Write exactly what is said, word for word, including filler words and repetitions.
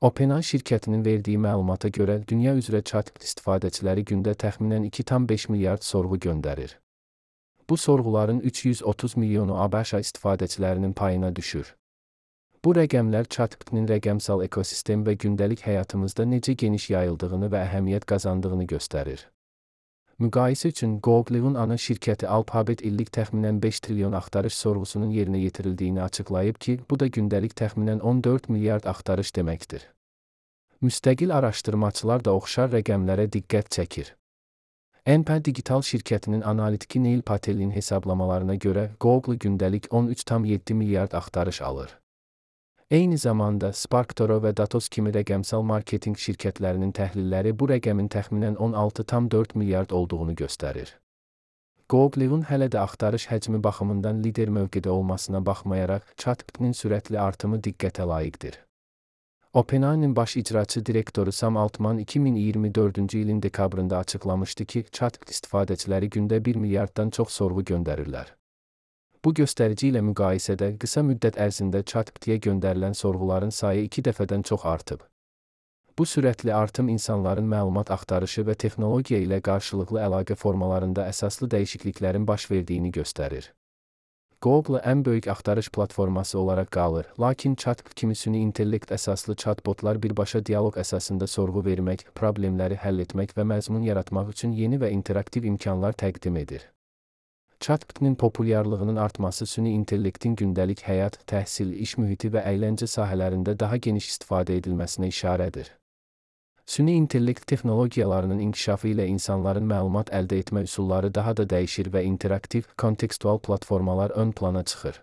OpenAI şirkətinin verdiyi məlumata görə, dünya üzrə ChatGPT istifadəçiləri gündə təxminən iki tam beş milyard sorğu göndərir. Bu sorğuların üç yüz otuz milyonu ABŞ istifadəçilərinin payına düşür. Bu rəqəmlər ChatGPT-nin rəqəmsal ekosistem və gündəlik həyatımızda necə geniş yayıldığını və əhəmiyyət qazandığını göstərir. Müqayisə üçün, Google-un ana şirkəti Alphabet illik təxminən beş trilyon axtarış sorğusunun yerinə yetirildiyini açıqlayıb ki, bu da gündəlik təxminən on dörd milyard axtarış deməkdir. Müstəqil araşdırmaçılar da oxşar rəqəmlərə diqqət çəkir. N P Digital şirkətinin analitiki Neil Patel'in hesablamalarına görə, Google gündəlik on üç tam yeddi milyard axtarış alır. Eyni zamanda, SparkToro və Datos kimi rəqəmsal marketinq şirkətlərinin təhlilləri bu rəqəmin təxminən on altı tam dörd milyard olduğunu göstərir. Google-un hələ də axtarış həcmi baxımından lider mövqedə olmasına baxmayaraq, ChatGPT-nin sürətli artımı diqqətə layiqdir. OpenAI-nin baş icraçı direktoru Sam Altman iki min iyirmi dördüncü ilin dekabrında açıqlamışdı ki, ChatGPT istifadəçiləri gündə bir milyarddan çox sorğu göndərirlər. Bu göstərici ilə müqayisədə qısa müddət ərzində ChatGPT-yə göndərilən sorğuların sayı iki dəfədən çox artıb. Bu sürətli artım insanların məlumat axtarışı və texnologiya ilə qarşılıqlı əlaqə formalarında əsaslı dəyişikliklərin baş verdiyini göstərir. Google ən böyük axtarış platforması olaraq qalır, lakin ChatGPT kimi süni intellekt əsaslı chatbotlar birbaşa dialoq əsasında sorğu vermək, problemləri həll etmək və məzmun yaratmaq üçün yeni və interaktiv imkanlar təqdim edir. ChatGPT-nin populyarlığının artması süni intellektin gündəlik həyat, təhsil, iş mühiti və əyləncə sahələrində daha geniş istifadə edilməsinə işarədir. Süni intellekt texnologiyalarının inkişafı ilə insanların məlumat əldə etmə üsulları daha da dəyişir və interaktiv, kontekstual platformalar ön plana çıxır.